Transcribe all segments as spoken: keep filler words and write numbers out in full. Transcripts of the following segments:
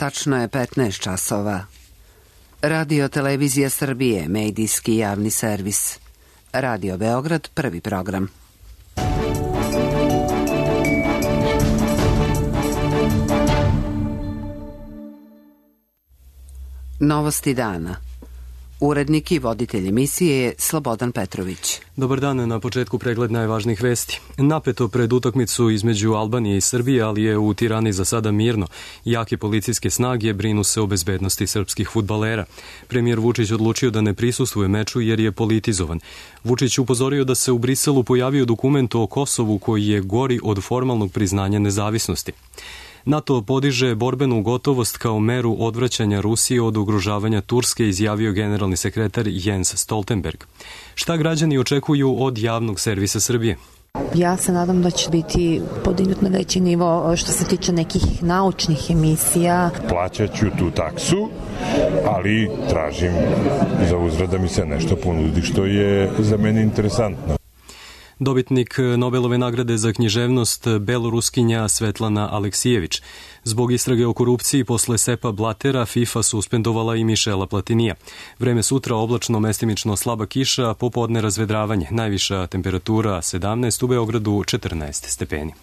Tačno je petnaest časova. Radio Televizija Srbije, medijski javni servis. Radio Beograd, prvi program. Novosti dana. Urednik i voditelj emisije je Slobodan Petrović. Dobar dan, na početku pregled najvažnijih vesti. Napeto pred utakmicu između Albanije i Srbije, ali je u Tirani za sada mirno. Jake policijske snage brinu se o bezbednosti srpskih fudbalera. Premijer Vučić odlučio da ne prisustvuje meču jer je politizovan. Vučić upozorio da se u Briselu pojavio dokument o Kosovu koji je gori od formalnog priznanja nezavisnosti. NATO podiže borbenu gotovost kao meru odvraćanja Rusije od ugrožavanja Turske, izjavio generalni sekretar Jens Stoltenberg. Šta građani očekuju od javnog servisa Srbije? Ja se nadam da će biti podignut na veći nivo što se tiče nekih naučnih emisija. Plaćat ću tu taksu, ali tražim za uzvrat da mi se nešto ponudi što je za mene interesantno. Dobitnik Nobelove nagrade za književnost beloruskinja Svetlana Aleksijević. Zbog istrage o korupciji posle Sepa Blatera FIFA suspendovala i Mišela Platinija. Vreme sutra oblačno, mestimično slaba kiša, popodne razvedravanje. Najviša temperatura sedamnaest, u Beogradu četrnaest stepeni.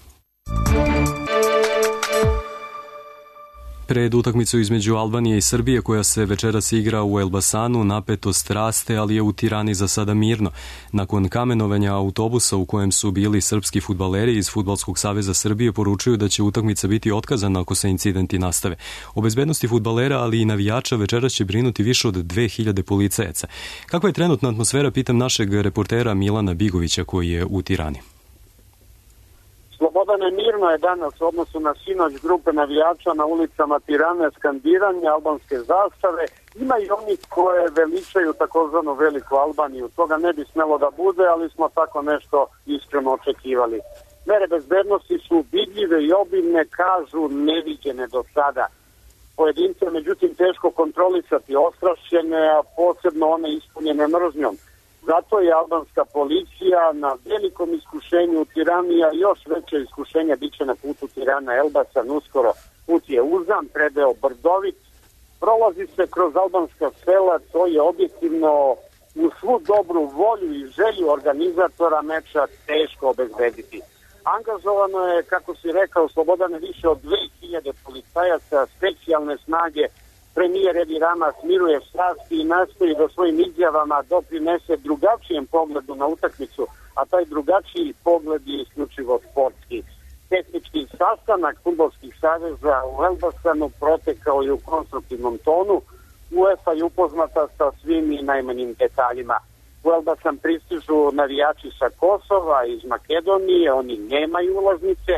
Pred utakmicu između Albanije i Srbije, koja se večeras igra u Elbasanu, napetost raste, ali je u Tirani za sada mirno. Nakon kamenovanja autobusa u kojem su bili srpski fudbaleri iz Fudbalskog saveza Srbije poručuju da će utakmica biti otkazana ako se incidenti nastave. O bezbednosti fudbalera, ali i navijača večeras će brinuti više od dve hiljade policajaca. Kakva je trenutna atmosfera, pitam našeg reportera Milana Bigovića koji je u Tirani. Slobodane, mirno je danas u odnosu na sinoć grupe navijača na ulicama Tirane, skandiranje albanske zastave. Ima i onih koje veličaju takozvanu Veliku Albaniju. Toga ne bi smelo da bude, ali smo tako nešto iskreno očekivali. Mere bezbednosti su vidljive i obilne, kažu neviđene do sada. Pojedince, međutim, teško kontrolisati, ostrašćene, a posebno one ispunjene mržnjom. Zato je albanska policija na velikom iskušenju u Tirani, a još veće iskušenje biće na putu Tirana-Elbasan uskoro. Put je uzan, predeo brdovit, prolazi se kroz albanska sela, to je objektivno u svu dobru volju i želju organizatora meča teško obezbediti. Angažovano je, kako si rekao, Slobodane, više od dve hiljade policajaca, specijalne snage. Premijer Edi Rama smiruje strasti i nastoji da svojim izjavama doprinese drugačijem pogledu na utakmicu, a taj drugačiji pogled je isključivo sportski. Tehnički sastanak fudbalskih saveza u Elbasanu protekao je u konstruktivnom tonu. UEFA je upoznata sa svim i najmanjim detaljima. U Elbasan pristižu navijači sa Kosova, iz Makedonije, oni nemaju ulaznice,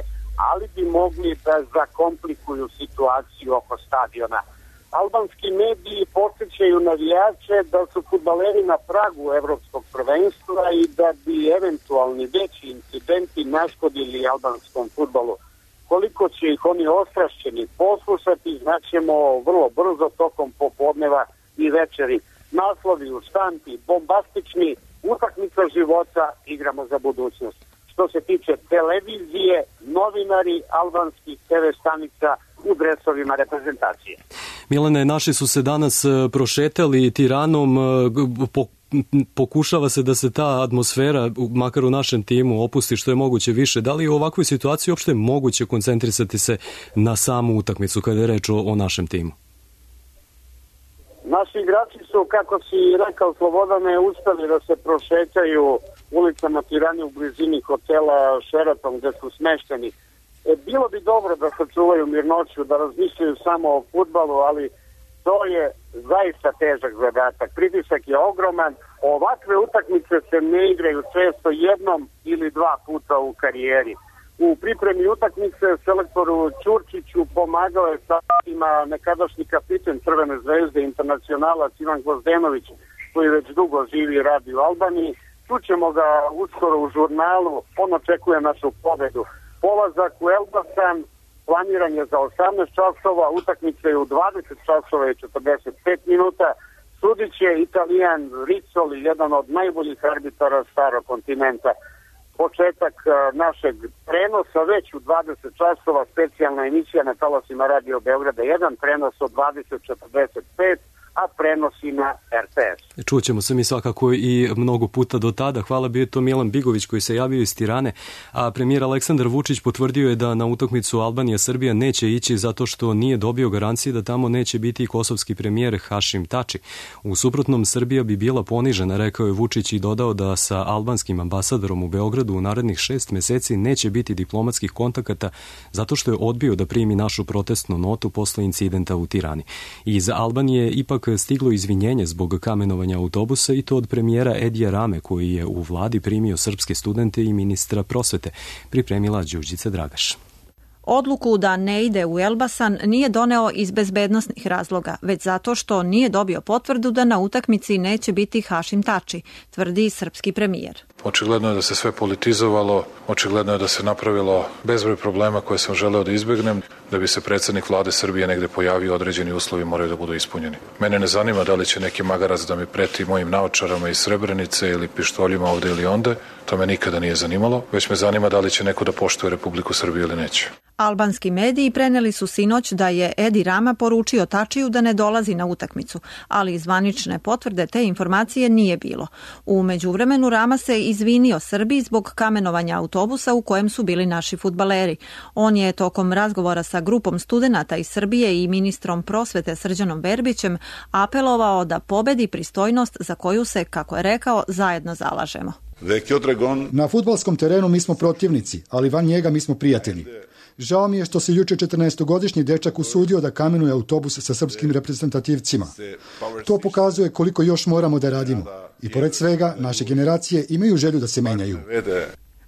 ali bi mogli da zakomplikuju situaciju oko stadiona. Albanski mediji podsjećaju navijače da su fudbaleri na pragu evropskog prvenstva i da bi eventualni veći incidenti naškodili albanskom fudbalu. Koliko će ih oni ostrašćeni poslušati, znaćemo vrlo brzo tokom popodneva i večeri. Naslovi u štampi, bombastični, utakmica života, igramo za budućnost. Što se tiče televizije, novinari albanskih te ve stanica u dresovima reprezentacije. Milane, naši su se danas prošetali Tiranom, pokušava se da se ta atmosfera, makar u našem timu, opusti što je moguće više. Da li je u ovakvoj situaciji uopšte moguće koncentrisati se na samu utakmicu kada je reč o, o našem timu? Naši igrači su, kako si rekao Slobodane, uspeli da se prošetaju ulicama Tirane u blizini hotela Sheraton gde su smešteni. E, bilo bi dobro da sačuvaju mirnoću, da razmišljaju samo o fudbalu, ali to je zaista težak zadatak. Pritisak je ogroman. Ovakve utakmice se ne igraju često jednom ili dva puta u karijeri. U pripremi utakmice selektoru Ćurčiću pomagao je satima nekadašnji kapiten Crvene zvezde, internacionalac Ivan Gvozdenović, koji već dugo živi i radi u Albaniji. Čućemo ga uskoro u žurnalu, on očekuje našu pobedu. Polazak u Elbasan planiran je za osamnaest časova, utakmica je u dvadeset časova i četrdeset pet minuta. Sudit će Italijan Rizzoli, jedan od najboljih arbitara starog kontinenta. početak našeg prenosa, već u dvadeset časova specijalna emisija na talasima Radio Beograda jedan, prenos od dvadeset četrdeset pet, a prenosi na er te es. Čućemo se mi svakako i mnogo puta do tada. Hvala, bio je to Milan Bigović koji se javio iz Tirane, a premijer Aleksandar Vučić potvrdio je da na utakmicu Albanija-Srbija neće ići zato što nije dobio garancije da tamo neće biti i kosovski premijer Hašim Tači. U suprotnom, Srbija bi bila ponižena, rekao je Vučić i dodao da sa albanskim ambasadorom u Beogradu u narednih šest meseci neće biti diplomatskih kontakata zato što je odbio da primi našu protestnu notu posle incidenta u Tirani. Iz Albanije ipak stiglo izvinjenje zbog kamenovanja autobusa i to od premijera Edija Rame koji je u vladi primio srpske studente i ministra prosvete, pripremila Đurđica Dragaš. Odluku da ne ide u Elbasan nije doneo iz bezbednosnih razloga, već zato što nije dobio potvrdu da na utakmici neće biti Hašim Tači, tvrdi srpski premijer. Očigledno je da se sve politizovalo, očigledno je da se napravilo bezbroj problema koje sam želeo da izbegnem. Da bi se predsednik vlade Srbije negde pojavio, određeni uslovi moraju da budu ispunjeni. Mene ne zanima da li će neki magarac da mi preti mojim naočarama iz Srebrenice ili pištoljima ovde ili onde, to me nikada nije zanimalo, već me zanima da li će neko da poštuje Republiku Srbiju ili neće. Albanski mediji preneli su sinoć da je Edi Rama poručio Tačiju da ne dolazi na utakmicu, ali zvanične potvrde te informacije nije bilo. U međuvremenu Rama se izvinio Srbiji zbog kamenovanja autobusa u kojem su bili naši fudbaleri. On je tokom razgovora sa grupom studenata iz Srbije i ministrom prosvete Srđanom Verbićem apelovao da pobedi pristojnost za koju se, kako je rekao, zajedno zalažemo. Na fudbalskom terenu mi smo protivnici, ali van njega mi smo prijatelji. Žao mi je što se juče četrnaestogodišnji dečak usudio da kamenuje autobus sa srpskim reprezentativcima. To pokazuje koliko još moramo da radimo. I pored svega, naše generacije imaju želju da se menjaju.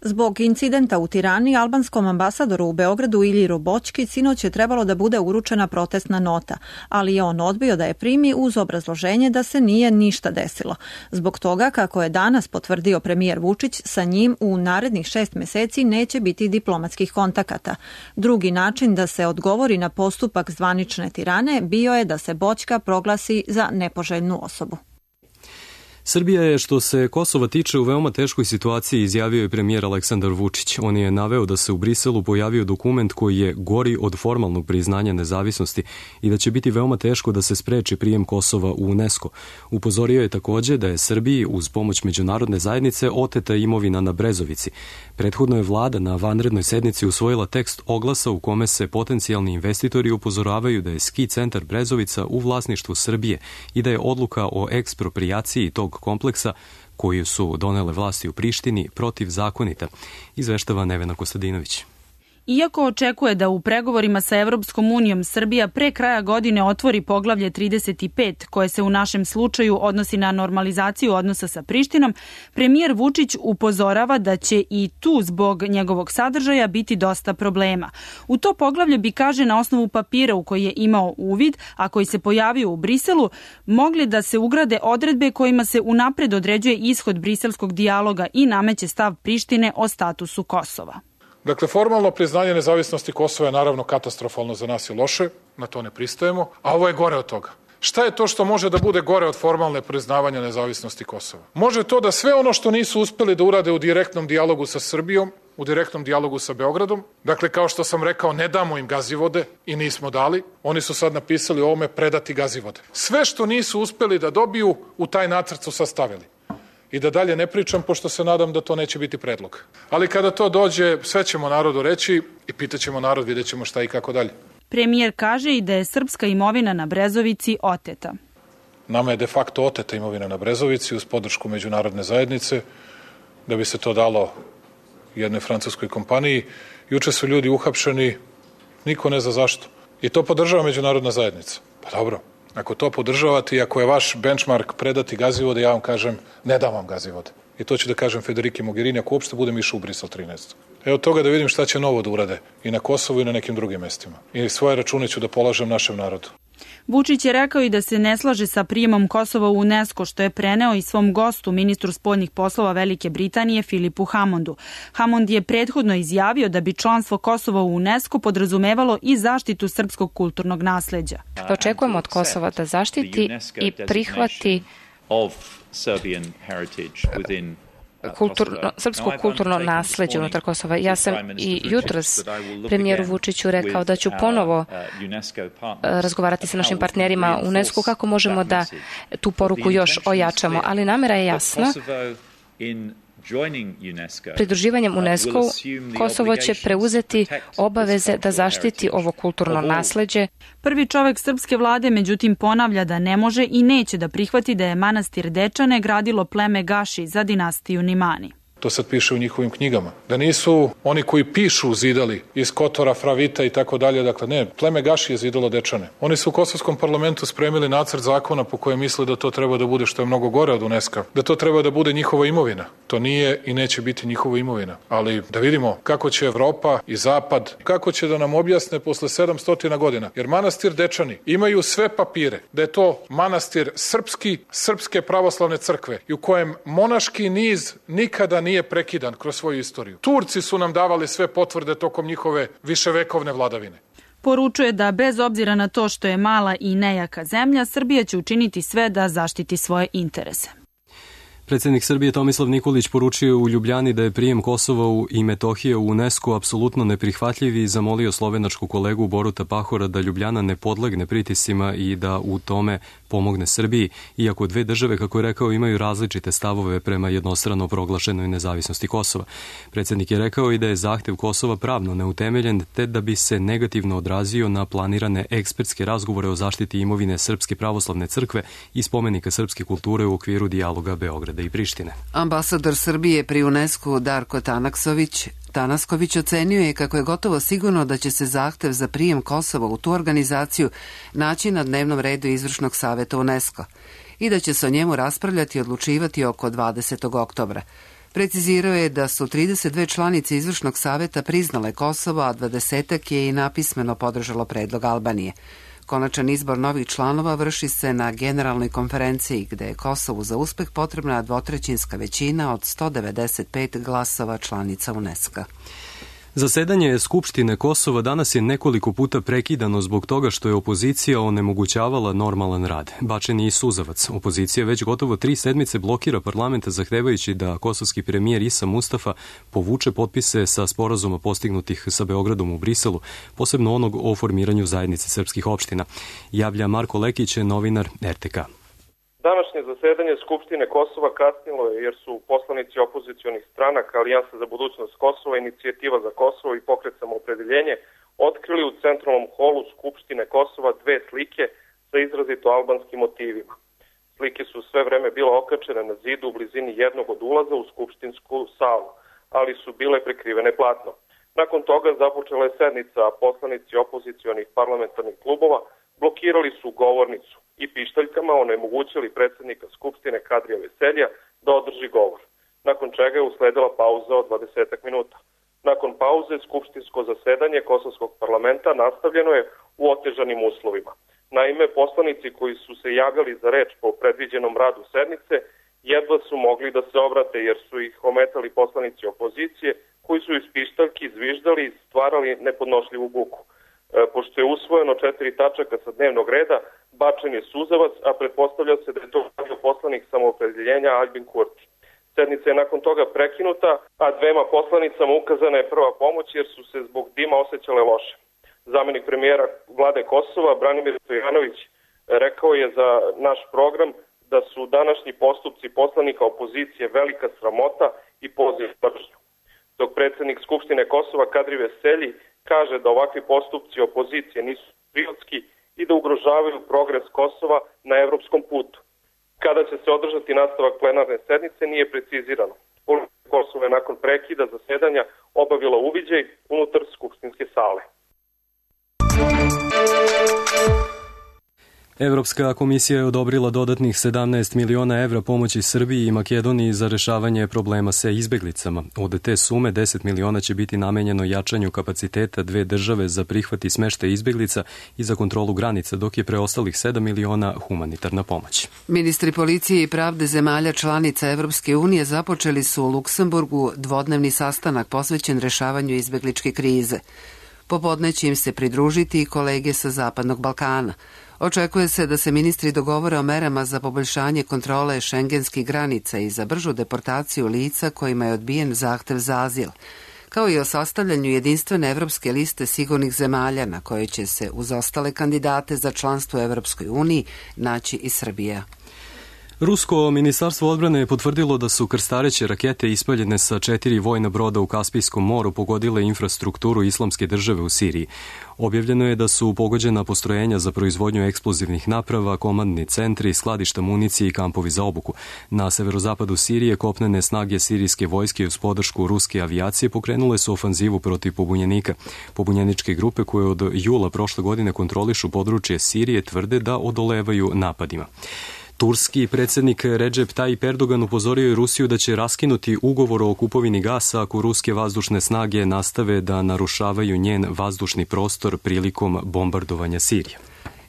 Zbog incidenta u Tirani, albanskom ambasadoru u Beogradu Iljiru Boćki sinoć je trebalo da bude uručena protestna nota, ali je on odbio da je primi uz obrazloženje da se nije ništa desilo. Zbog toga, kako je danas potvrdio premijer Vučić, sa njim u narednih šest meseci neće biti diplomatskih kontakata. Drugi način da se odgovori na postupak zvanične Tirane bio je da se Boćka proglasi za nepoželjnu osobu. Srbija je, što se Kosova tiče, u veoma teškoj situaciji, izjavio je premijer Aleksandar Vučić. On je naveo da se u Briselu pojavio dokument koji je gori od formalnog priznanja nezavisnosti i da će biti veoma teško da se spreči prijem Kosova u UNESCO. Upozorio je takođe da je Srbiji uz pomoć međunarodne zajednice oteta imovina na Brezovici. Prethodno je vlada na vanrednoj sednici usvojila tekst oglasa u kome se potencijalni investitori upozoravaju da je ski centar Brezovica u vlasništvu Srbije i da je odluka o eksproprijaciji tog kompleksa koju su donele vlasti u Prištini protivzakonita, izveštava Nevena Kostadinović. Iako očekuje da u pregovorima sa Evropskom unijom Srbija pre kraja godine otvori poglavlje trideset pet, koje se u našem slučaju odnosi na normalizaciju odnosa sa Prištinom, premijer Vučić upozorava da će i tu zbog njegovog sadržaja biti dosta problema. U to poglavlje bi, kaže, na osnovu papira u koji je imao uvid, a koji se pojavio u Briselu, mogli da se ugrade odredbe kojima se unapred određuje ishod briselskog dijaloga i nameće stav Prištine o statusu Kosova. Dakle, formalno priznanje nezavisnosti Kosova je naravno katastrofalno za nas i loše, na to ne pristajemo, a ovo je gore od toga. Šta je to što može da bude gore od formalne priznavanja nezavisnosti Kosova? Može to da sve ono što nisu uspeli da urade u direktnom dijalogu sa Srbijom, u direktnom dijalogu sa Beogradom, dakle, kao što sam rekao, ne damo im Gazivode i nismo dali, oni su sad napisali o ovome predati Gazivode. Sve što nisu uspeli da dobiju, u taj nacrt su sastavili. I da dalje ne pričam, pošto se nadam da to neće biti predlog. Ali kada to dođe, sve ćemo narodu reći i pitaćemo narod, vidjet ćemo šta i kako dalje. Premijer kaže i da je srpska imovina na Brezovici oteta. Nama je de facto oteta imovina na Brezovici uz podršku međunarodne zajednice, da bi se to dalo jednoj francuskoj kompaniji. Juče su ljudi uhapšeni, niko ne zna zašto. I to podržava međunarodna zajednica. Pa dobro. Ako to podržavate i ako je vaš benchmark predati Gazivode, ja vam kažem, ne dam vam Gazivode. I to ću da kažem Federiki Mogherini, ako uopšte budem išao u Brisel trinaest. Evo toga da vidim šta će novo da urade i na Kosovu i na nekim drugim mestima. I svoje račune ću da polažem našem narodu. Vučić je rekao i da se ne slaže sa prijemom Kosova u UNESCO, što je preneo i svom gostu, ministru spoljnih poslova Velike Britanije, Filipu Hammondu. Hammond je prethodno izjavio da bi članstvo Kosova u UNESCO podrazumevalo i zaštitu srpskog kulturnog nasleđa. Očekujemo od Kosova da zaštiti i prihvati kulturno, srpsko kulturno nasleđe unutar Kosova. Ja sam i jutros premijeru Vučiću rekao da ću ponovo razgovarati sa našim partnerima u UNESCO kako možemo da tu poruku još ojačamo, ali namera je jasna. Pridruživanjem UNESCO Kosovo će preuzeti obaveze da zaštiti ovo kulturno nasleđe. Prvi čovek srpske vlade međutim ponavlja da ne može i neće da prihvati da je manastir Dečane gradilo pleme Gaši za dinastiju Nimani. To sad piše u njihovim knjigama. Da nisu oni koji pišu zidali iz Kotora, Fravita i tako dalje. Dakle, ne, pleme Gaši je zidalo Dečane. Oni su u kosovskom parlamentu spremili nacrt zakona po kojem misle da to treba da bude, što je mnogo gore od UNESCO, da to treba da bude njihova imovina. To nije i neće biti njihova imovina. Ali da vidimo kako će Evropa i Zapad, kako će da nam objasne posle sedamsto godina. Jer manastir Dečani imaju sve papire da je to manastir srpski, srpske pravoslavne crkve i u kojem monaški niz nikada nije nije prekidan kroz svoju istoriju. Turci su nam davali sve potvrde tokom njihove viševekovne vladavine. Poručuje da bez obzira na to što je mala i nejaka zemlja, Srbija će učiniti sve da zaštiti svoje interese. Predsjednik Srbije Tomislav Nikolić poručio u Ljubljani da je prijem Kosova i Metohije u UNESCO apsolutno neprihvatljiv i zamolio slovenačku kolegu Boruta Pahora da Ljubljana ne podlegne pritiscima i da u tome pomogne Srbiji, iako dve države, kako je rekao, imaju različite stavove prema jednostrano proglašenoj nezavisnosti Kosova. Predsjednik je rekao i da je zahtev Kosova pravno neutemeljen, te da bi se negativno odrazio na planirane ekspertske razgovore o zaštiti imovine Srpske pravoslavne crkve i spomenika srpske kulture u okviru dijaloga Beograda i Prištine. Ambasador Srbije pri UNESCO Darko Tanaksović Tanasković ocenio je kako je gotovo sigurno da će se zahtev za prijem Kosova u tu organizaciju naći na dnevnom redu Izvršnog saveta UNESCO i da će se o njemu raspravljati i odlučivati oko dvadesetog oktobra. Precizirao je da su trideset dve članice Izvršnog saveta priznale Kosovo, a dvadesetak je i napismeno podržalo predlog Albanije. Konačan izbor novih članova vrši se na generalnoj konferenciji gde je Kosovu za uspeh potrebna dvotrećinska većina od sto devedeset pet glasova članica UNESCO. Zasedanje Skupštine Kosova danas je nekoliko puta prekidano zbog toga što je opozicija onemogućavala normalan rad. Bačen je i suzavac. Opozicija već gotovo tri sedmice blokira parlamenta zahtevajući da kosovski premijer Isa Mustafa povuče potpise sa sporazuma postignutih sa Beogradom u Briselu, posebno onog o formiranju zajednice srpskih opština. Javlja Marko Lekić, novinar R T K. Današnje zasedanje Skupštine Kosova kasnilo je jer su poslanici opozicionih stranaka Alijansa za budućnost Kosova, Inicijativa za Kosovo i Pokret Samoopredeljenje otkrili u centralnom holu Skupštine Kosova dve slike sa izrazito albanskim motivima. Slike su sve vreme bile okačene na zidu u blizini jednog od ulaza u skupštinsku salu, ali su bile prekrivene platnom. Nakon toga započela je sednica, a poslanici opozicionih parlamentarnih klubova blokirali su govornicu i pištaljkama onemogućili predsjednika Skupštine Kadrija Veselja da održi govor, nakon čega je usledila pauza od dvadesetak minuta. Nakon pauze, skupštinsko zasedanje Kosovskog parlamenta nastavljeno je u otežanim uslovima. Naime, poslanici koji su se javljali za reč po predviđenom radu sednice jedva su mogli da se obrate jer su ih ometali poslanici opozicije koji su iz pištaljki zviždali i stvarali nepodnošljivu buku. Pošto je usvojeno četiri tačaka sa dnevnog reda, bačen je suzavac, a pretpostavlja se da je to radio poslanik Samoopredeljenja Albin Kurti. Sednica je nakon toga prekinuta, a dvema poslanicama ukazana je prva pomoć jer su se zbog dima osjećale loše. Zamenik premijera vlade Kosova, Branimir Stojanović, rekao je za naš program da su današnji postupci poslanika opozicije velika sramota i poziv mržnju. Dok predsjednik Skupštine Kosova Kadri Veselji kaže da ovakvi postupci opozicije nisu patriotski i da ugrožavaju progres Kosova na evropskom putu. Kada će se održati nastavak plenarne sednice nije precizirano. Policija Kosova je nakon prekida zasedanja obavila uviđaj unutar skupštinske sale. Evropska komisija je odobrila dodatnih sedamnaest miliona evra pomoći Srbiji i Makedoniji za rešavanje problema sa izbeglicama. Od te sume deset miliona će biti namenjeno jačanju kapaciteta dve države za prihvat i smeštaj izbeglica i za kontrolu granica, dok je preostalih sedam miliona humanitarna pomoć. Ministri policije i pravde zemalja članica Evropske unije započeli su u Luksemburgu dvodnevni sastanak posvećen rešavanju izbegličke krize. Popodne će im se pridružiti i kolege sa Zapadnog Balkana. Očekuje se da se ministri dogovore o merama za poboljšanje kontrole šengenskih granica i za bržu deportaciju lica kojima je odbijen zahtev za azil, kao i o sastavljanju jedinstvene evropske liste sigurnih zemalja na kojoj će se uz ostale kandidate za članstvo u Evropskoj uniji naći i Srbija. Rusko ministarstvo odbrane je potvrdilo da su krstareće rakete ispaljene sa četiri vojna broda u Kaspijskom moru pogodile infrastrukturu Islamske države u Siriji. Objavljeno je da su pogođena postrojenja za proizvodnju eksplozivnih naprava, komandni centri, skladišta municije i kampovi za obuku. Na severozapadu Sirije kopnene snage sirijske vojske uz podršku ruske avijacije pokrenule su ofanzivu protiv pobunjenika. Pobunjeničke grupe koje od jula prošle godine kontrolišu područje Sirije tvrde da odolevaju napadima. Turski predsjednik Recep Tayyip Erdogan upozorio je Rusiju da će raskinuti ugovor o kupovini gasa ako ruske vazdušne snage nastave da narušavaju njen vazdušni prostor prilikom bombardovanja Sirije.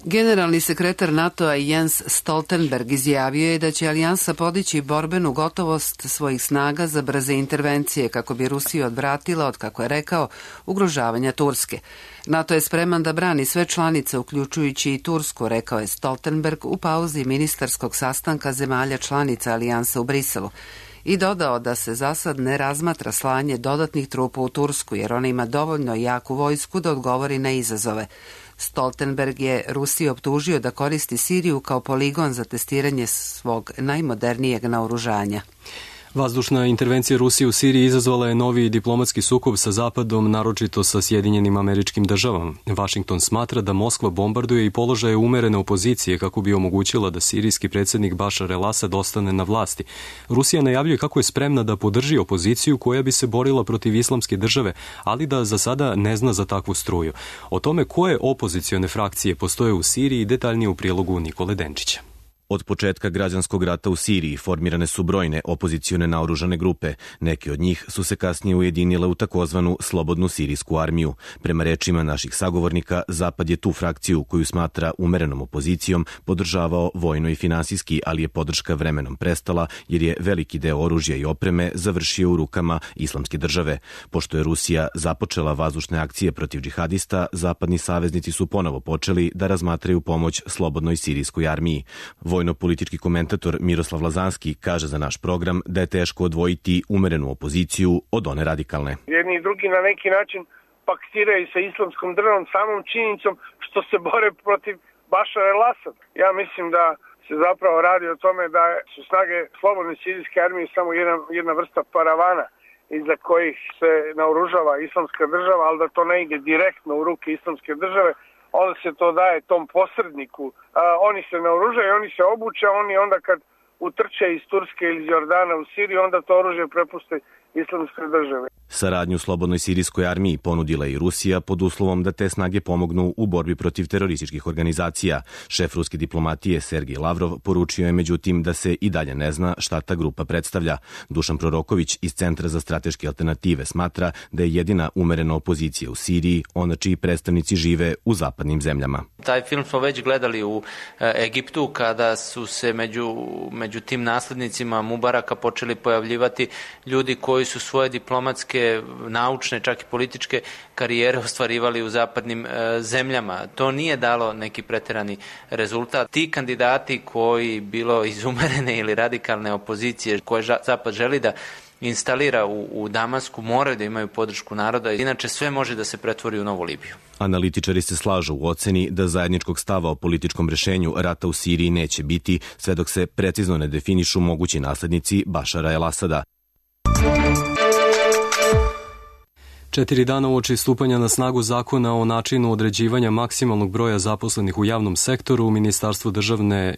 Generalni sekretar NATO-a Jens Stoltenberg izjavio je da će alijansa podići borbenu gotovost svojih snaga za brze intervencije kako bi Rusiju odvratila od, kako je rekao, ugrožavanja Turske. NATO je spreman da brani sve članice, uključujući i Tursku, rekao je Stoltenberg u pauzi ministarskog sastanka zemalja članica alijansa u Briselu. I dodao da se za sad ne razmatra slanje dodatnih trupa u Tursku, jer ona ima dovoljno jaku vojsku da odgovori na izazove. Stoltenberg je Rusiju optužio da koristi Siriju kao poligon za testiranje svog najmodernijeg naoružanja. Vazdušna intervencija Rusije u Siriji izazvala je novi diplomatski sukob sa Zapadom, naročito sa Sjedinjenim Američkim Državama. Vašington smatra da Moskva bombarduje i položaje umerene opozicije kako bi omogućila da sirijski predsjednik Bašar el-Asad ostane na vlasti. Rusija najavljuje kako je spremna da podrži opoziciju koja bi se borila protiv Islamske države, ali da za sada ne zna za takvu struju. O tome koje opozicione frakcije postoje u Siriji detaljnije u prilogu Nikole Denčića. Od početka građanskog rata u Siriji formirane su brojne opozicione naoružane grupe. Neke od njih su se kasnije ujedinile u takozvanu Slobodnu sirijsku armiju. Prema rečima naših sagovornika, Zapad je tu frakciju koju smatra umerenom opozicijom podržavao vojno i finansijski, ali je podrška vremenom prestala jer je veliki deo oružja i opreme završio u rukama Islamske države. Pošto je Rusija započela vazdušne akcije protiv džihadista, zapadni saveznici su ponovo počeli da razmatraju pomoć Slobodnoj sirijskoj armiji. Vojno-politički komentator Miroslav Lazanski kaže za naš program da je teško odvojiti umerenu opoziciju od one radikalne. Jedni i drugi na neki način paktiraju sa Islamskom državom samom činjenicom što se bore protiv Bašara el-Asada. Ja mislim da se zapravo radi o tome da su snage Slobodne sirijske armije samo jedna, jedna vrsta paravana iza kojih se naoružava Islamska država, ali da to ne ide direktno u ruke Islamske države, onda se to daje tom posredniku. A, oni se naoružaju, oni se obuče, oni onda kad utrče iz Turske ili iz Jordana u Siriju, onda to oružje prepuste Islamskoj državi. Saradnju Slobodnoj sirijskoj armiji ponudila i Rusija pod uslovom da te snage pomognu u borbi protiv terorističkih organizacija. Šef ruske diplomatije Sergej Lavrov poručio je međutim da se i dalje ne zna šta ta grupa predstavlja. Dušan Proroković iz Centra za strateške alternative smatra da je jedina umerena opozicija u Siriji ona čiji predstavnici žive u zapadnim zemljama. Taj film smo već gledali u e, Egiptu kada su se među, među tim naslednicima Mubaraka počeli pojavljivati ljudi koji su svoje diplomatske, naučne, čak i političke karijere ostvarivali u zapadnim e, zemljama. To nije dalo neki preterani rezultat. Ti kandidati koji bilo iz umerene ili radikalne opozicije koje Zapad želi da instalira u, u Damasku moraju da imaju podršku naroda, inače sve može da se pretvori u novu Libiju. Analitičari se slažu u oceni da zajedničkog stava o političkom rešenju rata u Siriji neće biti sve dok se precizno ne definišu mogući naslednici Bašara el-Asada. Četiri dana uoči stupanja na snagu zakona o načinu određivanja maksimalnog broja zaposlenih u javnom sektoru, Ministarstvo državne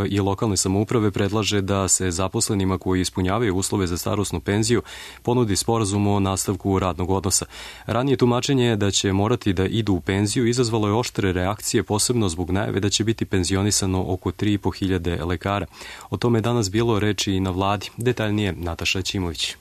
i lokalne samouprave predlaže da se zaposlenima koji ispunjavaju uslove za starosnu penziju ponudi sporazum o nastavku radnog odnosa. Ranije tumačenje je da će morati da idu u penziju izazvalo je oštre reakcije, posebno zbog najave da će biti penzionisano oko tri i po hiljade lekara. O tome je danas bilo reči i na vladi. Detaljnije Nataša Ćimović.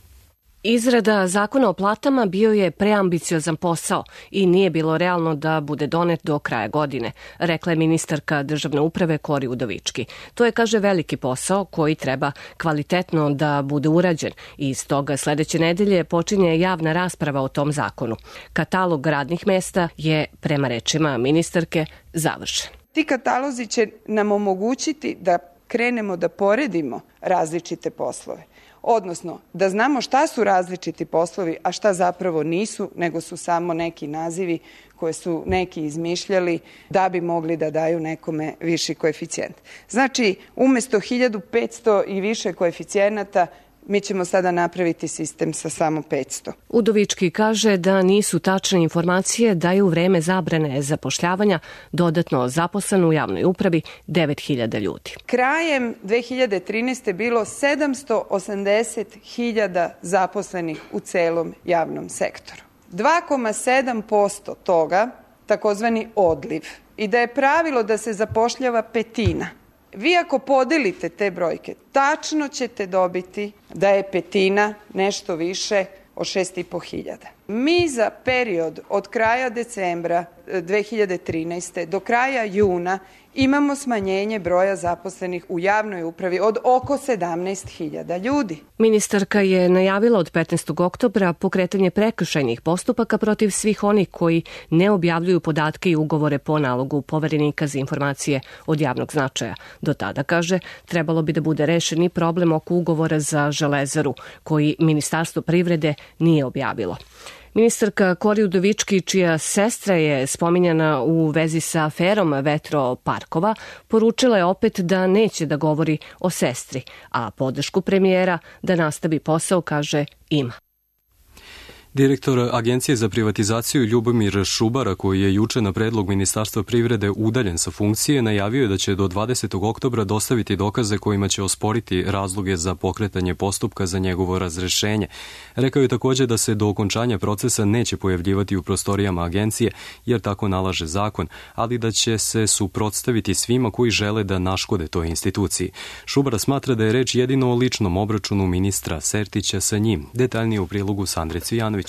Izrada zakona o platama bio je preambiciozan posao i nije bilo realno da bude donet do kraja godine, rekla je ministarka državne uprave Kori Udovički. To je, kaže, veliki posao koji treba kvalitetno da bude urađen i iz toga sledeće nedelje počinje javna rasprava o tom zakonu. Katalog radnih mesta je, prema rečima ministarke, završen. Ti katalozi će nam omogućiti da krenemo da poredimo različite poslove. Odnosno, da znamo šta su različiti poslovi, a šta zapravo nisu, nego su samo neki nazivi koje su neki izmišljali da bi mogli da daju nekome viši koeficijent. Znači, umesto hiljadu petsto i više koeficijenata, mi ćemo sada napraviti sistem sa samo petsto. Udovički kaže da nisu tačne informacije da je u vreme zabrane zapošljavanja dodatno zaposleno u javnoj upravi devet hiljada ljudi. Krajem dve hiljade trinaeste. bilo sedamsto osamdeset hiljada zaposlenih u celom javnom sektoru. dva zarez sedam posto toga takozvani odliv i da je pravilo da se zapošljava petina. Vi ako podelite te brojke, tačno ćete dobiti da je petina nešto više od šest i po hiljada. Mi za period od kraja decembra dve hiljade trinaeste. do kraja juna imamo smanjenje broja zaposlenih u javnoj upravi od oko sedamnaest hiljada ljudi. Ministarka je najavila od petnaestog oktobra pokretanje prekršajnih postupaka protiv svih onih koji ne objavljuju podatke i ugovore po nalogu poverenika za informacije od javnog značaja. Do tada, kaže, trebalo bi da bude rešen i problem oko ugovora za Železaru, koji Ministarstvo privrede nije objavilo. Ministarka Kori Udovički, čija sestra je spominjana u vezi sa aferom vetroparkova, poručila je opet da neće da govori o sestri, a podršku premijera da nastavi posao, kaže, ima. Direktor Agencije za privatizaciju Ljubomir Šubara, koji je juče na predlog Ministarstva privrede udaljen sa funkcije, najavio je da će do dvadesetog oktobra dostaviti dokaze kojima će osporiti razloge za pokretanje postupka za njegovo razrešenje. Rekao je također da se do okončanja procesa neće pojavljivati u prostorijama agencije, jer tako nalaže zakon, ali da će se suprotstaviti svima koji žele da naškode toj instituciji. Šubara smatra da je reč jedino o ličnom obračunu ministra Sertića sa njim. Detaljnije u prilogu Sandre Cvijanović.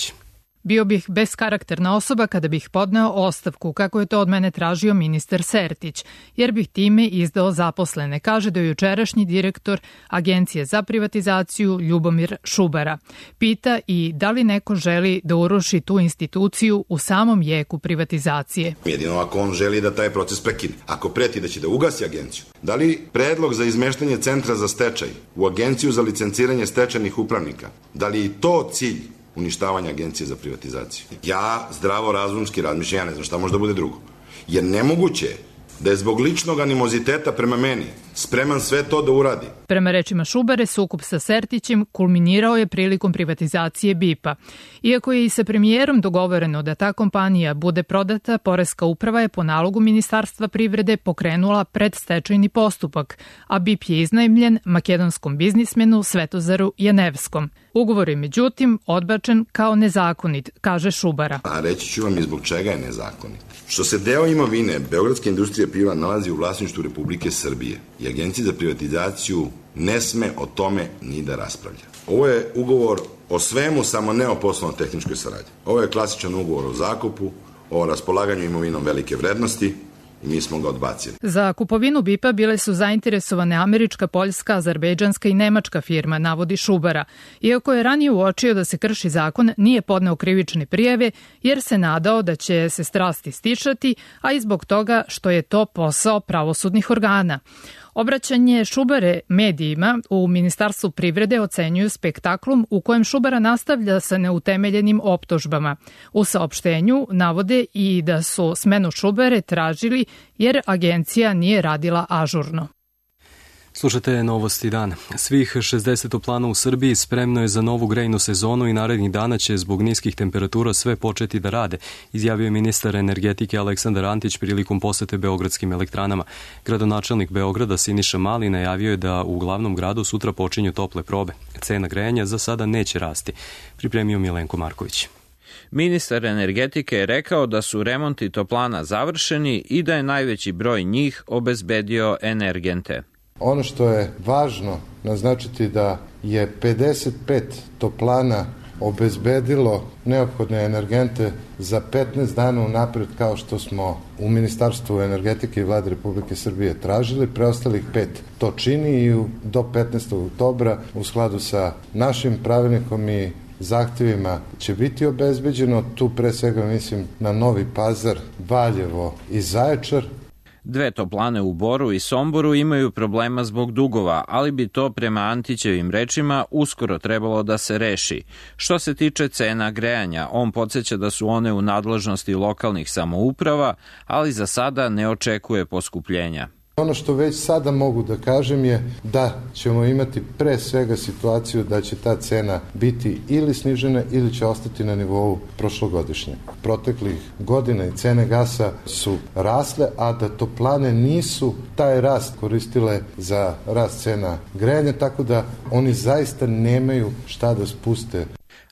Bio bih beskarakterna osoba kada bih podneo ostavku, kako je to od mene tražio ministar Sertić, jer bih time izdao zaposlene, kaže do jučerašnji direktor Agencije za privatizaciju Ljubomir Šubara. Pita i da li neko želi da uruši tu instituciju u samom jeku privatizacije. Jedino ako on želi da taj proces prekine. Ako preti da će da ugasi agenciju. Da li predlog za izmeštanje centra za stečaj u Agenciju za licenciranje stečajnih upravnika, da li je to cilj uništavanja Agencije za privatizaciju? Ja zdravo razumski razmišljam, ja ne znam šta može da bude drugo. Jer nemoguće je da je zbog ličnog animoziteta prema meni spreman sve to da uradi. Prema rečima Šubare, sukob sa Sertićem kulminirao je prilikom privatizacije B I P-a. Iako je i sa premijerom dogovoreno da ta kompanija bude prodata, Poreska uprava je po nalogu Ministarstva privrede pokrenula predstečajni postupak, a B I P je iznajmljen makedonskom biznismenu Svetozaru Janevskom. Ugovor je međutim odbačen kao nezakonit, kaže Šubara. A reći ću vam i zbog čega je nezakonit. Što se deo imovine Beogradske industrije piva nalazi u vlasništvu Republike Srbije i Agencija za privatizaciju ne sme o tome ni da raspravlja. Ovo je ugovor o svemu, samo ne o poslovno-tehničkoj saradnji. Ovo je klasičan ugovor o zakupu, o raspolaganju imovinom velike vrednosti, i mi smo ga odbacili. Za kupovinu B I P-a bile su zainteresovane američka, poljska, azerbejdžanska i nemačka firma, navodi Šubara. Iako je ranije uočio da se krši zakon, nije podneo krivične prijave jer se nadao da će se strasti stišati, a i zbog toga što je to posao pravosudnih organa. Obraćanje Šubare medijima u Ministarstvu privrede ocenjuju spektaklom u kojem Šubara nastavlja sa neutemeljenim optužbama. U saopštenju navode i da su smenu Šubare tražili jer agencija nije radila ažurno. Slušate Novosti dana. Svih šezdeset toplana u Srbiji spremno je za novu grejnu sezonu i narednih dana će zbog niskih temperatura sve početi da rade, izjavio je ministar energetike Aleksandar Antić prilikom posete beogradskim elektranama. Gradonačelnik Beograda Siniša Mali najavio je da u glavnom gradu sutra počinju tople probe. Cena grejanja za sada neće rasti, pripremio Milenko Marković. Ministar energetike je rekao da su remonti toplana završeni i da je najveći broj njih obezbedio energente. Ono što je važno naznačiti da je pedeset pet toplana obezbedilo neophodne energente za petnaest dana unapred, kao što smo u Ministarstvu energetike i Vlade Republike Srbije tražili. Preostalih pet to čini i do petnaestog oktobra u skladu sa našim pravilnikom i zahtjevima će biti obezbeđeno. Tu pre svega mislim na Novi Pazar, Valjevo i Zaječar. Dve toplane u Boru i Somboru imaju problema zbog dugova, ali bi to prema Antićevim rečima uskoro trebalo da se reši. Što se tiče cena grejanja, on podsjeća da su one u nadležnosti lokalnih samouprava, ali za sada ne očekuje poskupljenja. Ono što već sada mogu da kažem je da ćemo imati pre svega situaciju da će ta cena biti ili snižena ili će ostati na nivou prošlogodišnje. Proteklih godina i cene gasa su rasle, a da toplane nisu taj rast koristile za rast cena grejanja, tako da oni zaista nemaju šta da spuste.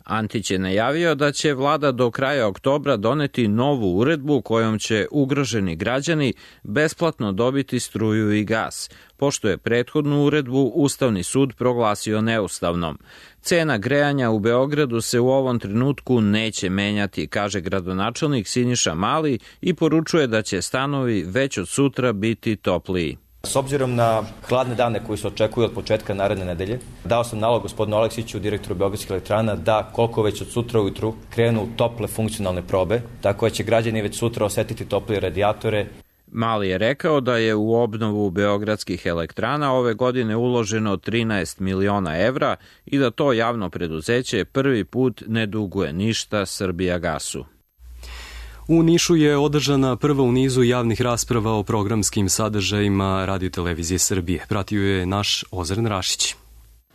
Antić je najavio da će vlada do kraja oktobra doneti novu uredbu kojom će ugroženi građani besplatno dobiti struju i gas, pošto je prethodnu uredbu Ustavni sud proglasio neustavnom. Cena grejanja u Beogradu se u ovom trenutku neće menjati, kaže gradonačelnik Siniša Mali i poručuje da će stanovi već od sutra biti topliji. S obzirom na hladne dane koji se očekuju od početka naredne nedelje, dao sam nalog gospodinu Aleksiću, direktoru Beogradskih elektrana, da koliko već od sutra ujutru krenu tople funkcionalne probe, tako da će građani već sutra osetiti toplije radijatore. Mali je rekao da je u obnovu beogradskih elektrana ove godine uloženo trinaest miliona evra i da to javno preduzeće prvi put ne duguje ništa Srbijagasu. U Nišu je održana prva u nizu javnih rasprava o programskim sadržajima Radio-televizije Srbije. Pratio je naš Ozren Rašić.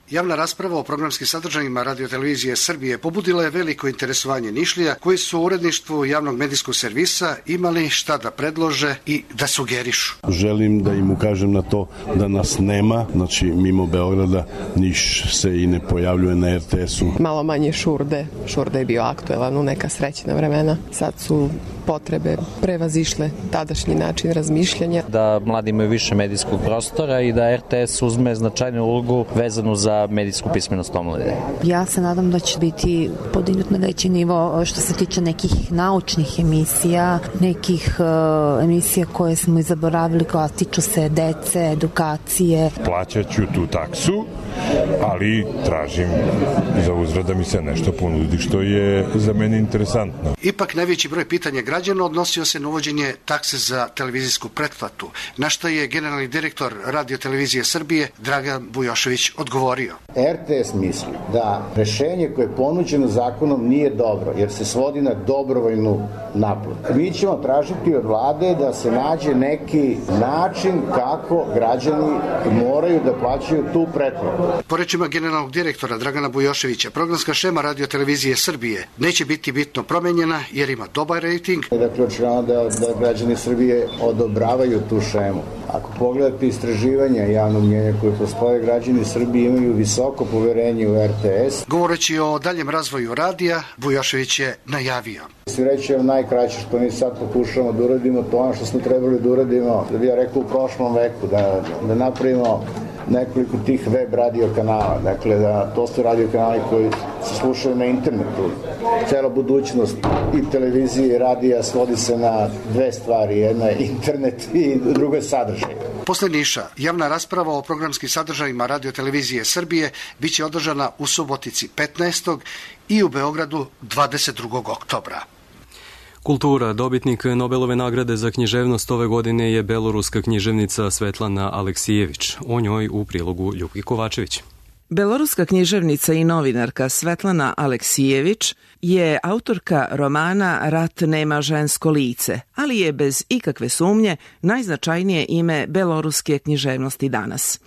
Javna rasprava o programskim sadržajima Radio-televizije Srbije pobudila je veliko interesovanje Nišlija koji su u uredništvu javnog medijskog servisa imali šta da predlože i da sugerišu. Želim da im ukažem na to da nas nema, znači mimo Beograda Niš se i ne pojavljuje na er te esu. Malo manje Šurde, Šurde je bio aktuelan u neka srećna vremena, sad su potrebe prevazišle tadašnji način razmišljanja. Da mladi imaju više medijskog prostora i da er te es uzme značajnu ulogu vezanu za medijsku pismenost omladine. Ja se nadam da će biti podignut na veći nivo što se tiče nekih naučnih emisija, nekih uh, emisija koje smo i zaboravili, koja tiču se dece, edukacije. Plaćaću tu taksu, ali tražim za uzvrat da mi se nešto ponudi što je za mene interesantno. Ipak najveći broj pitanja građana odnosio se na uvođenje takse za televizijsku pretplatu, na što je generalni direktor Radio-televizije Srbije Dragan Bujošević odgovorio. er te es misli da rešenje koje je ponuđeno zakonom nije dobro, jer se svodi na dobrovoljnu naplatu. Mi ćemo tražiti od vlade da se nađe neki način kako građani moraju da plaćaju tu pretplatu. Po rečima generalnog direktora Dragana Bujoševića, programska šema Radio-televizije Srbije neće biti bitno promenjena jer ima dobar rejting. Dakle, očigledno da, da građani Srbije odobravaju tu šemu. Ako pogledate istraživanja javnog mnjenja koje postoje, građani Srbije imaju visoko poverenje u er te es. Govoreći o daljem razvoju radija, Bujošević je najavio. Svi reći je najkraće što mi sad pokušamo da uradimo, to ono što smo trebali da uradimo, da bi ja rekao u prošlom veku, da, da napravimo nekoliko tih web radio kanala. Dakle, da to su radio kanali koji se slušaju na internetu. Cela budućnost i televizije i radija svodi se na dve stvari. Jedna je internet i druga je sadržaj. Posle Niša, javna rasprava o programskim sadržajima Radio-televizije Srbije biće održana u Subotici petnaestog i u Beogradu dvadeset drugog oktobra. Kultura. Dobitnik Nobelove nagrade za književnost ove godine je beloruska književnica Svetlana Aleksijević. O njoj u prilogu Ljupki Kovačević. Beloruska književnica i novinarka Svetlana Aleksijević je autorka romana Rat nema žensko lice, ali je bez ikakve sumnje najznačajnije ime beloruske književnosti danas.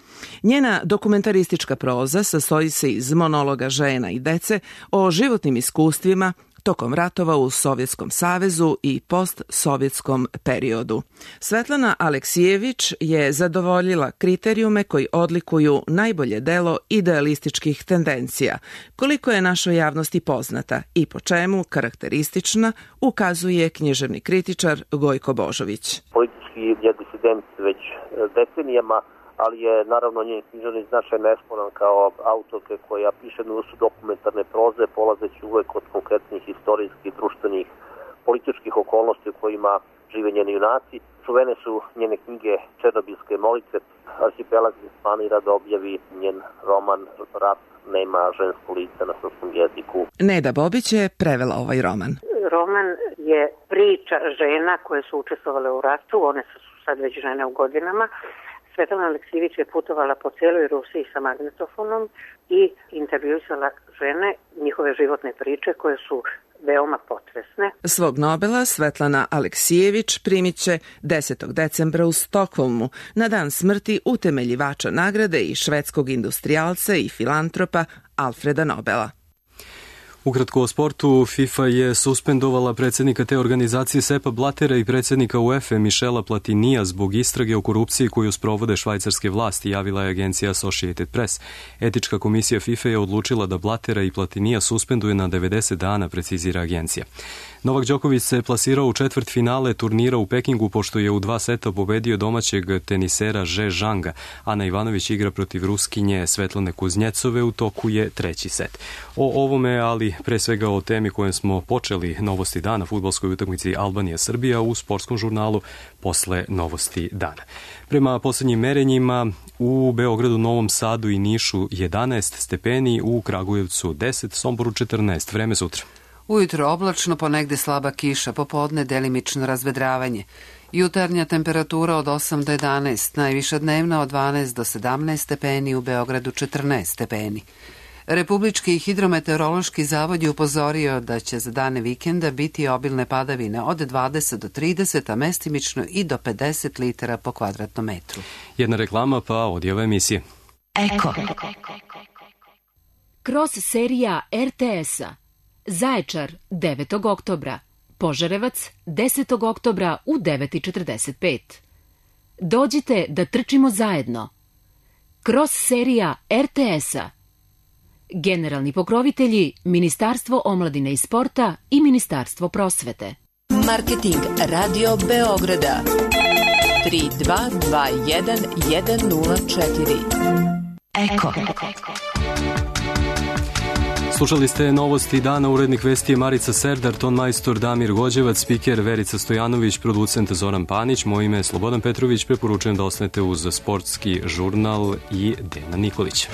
Njena dokumentaristička proza sastoji se iz monologa žena i dece o životnim iskustvima tokom ratova u Sovjetskom savezu i postsovjetskom periodu. Svetlana Aleksijević je zadovoljila kriterijume koji odlikuju najbolje delo idealističkih tendencija, koliko je našoj javnosti poznata i po čemu karakteristična, ukazuje književni kritičar Gojko Božović. Politički je disident već decenijama, ali je naravno njen književni značaj nesporan kao autorke koja piše na usu dokumentarne proze, polazeći uvek od konkretnih istorijskih, društvenih, političkih okolnosti u kojima žive njeni junaci. Čuvene su njene knjige Černobilske molitve. Arhipelag planira da objavi njen roman Rat nema žensko lice na srpskom jeziku. Neda Bobić je prevela ovaj roman. Roman je priča žena koje su učestvovale u ratu, one su sad već žene u godinama. Svetlana Aleksijević je putovala po cijeloj Rusiji sa magnetofonom i intervjuisala žene, njihove životne priče koje su veoma potresne. Svog Nobela Svetlana Aleksijević primit će desetog decembra u Stokholmu, na dan smrti utemeljivača nagrade i švedskog industrijalca i filantropa Alfreda Nobela. Ukratko o sportu, FIFA je suspendovala predsjednika te organizacije Seppa Blattera i predsjednika UEFA Michela Platinija zbog istrage o korupciji koju sprovode švajcarske vlasti, javila je agencija Associated Press. Etička komisija FIFA je odlučila da Blattera i Platinija suspenduje na devedeset dana, precizira agencija. Novak Đoković se plasirao u četvrt finale turnira u Pekingu pošto je u dva seta pobedio domaćeg tenisera Že Zhanga. Ana Ivanović igra protiv Ruskinje Svetlane Kuznjecove, u toku je treći set. O ovome, ali pre svega o temi kojom smo počeli novosti dana, fudbalskoj utakmici Albanija-Srbija u sportskom žurnalu posle novosti dana. Prema poslednjim merenjima u Beogradu, Novom Sadu i Nišu jedanaest stepeni, u Kragujevcu deset, Somboru četrnaest. Vreme sutra. Ujutro oblačno, ponegde slaba kiša, popodne delimično razvedravanje. Jutarnja temperatura od osam do jedanaest, najviša dnevna od dvanaest do sedamnaest stepeni, u Beogradu četrnaest stepeni. Republički hidrometeorološki zavod je upozorio da će za dane vikenda biti obilne padavine od dvadeset do trideset, a mestimično i do pedeset litara po kvadratnom metru. Jedna reklama pa odjava emisije. Eko. Kroz serija er te es-a. Zaječar devetog oktobra, Požarevac desetog oktobra u devet i četrdeset pet. Dođite da trčimo zajedno. Kroz serija er te es-a. Generalni pokrovitelji Ministarstvo omladine i sporta i Ministarstvo prosvete. Marketing Radio Beograda tri dva dva jedan jedan nula četiri. Eko. Slušali ste novosti dana, urednik vesti je Marica Serdar, ton majstor Damir Gođevac, spiker Verica Stojanović, producent Zoran Panić, moje ime je Slobodan Petrović, preporučujem da ostanete uz sportski žurnal i Dejana Nikolića.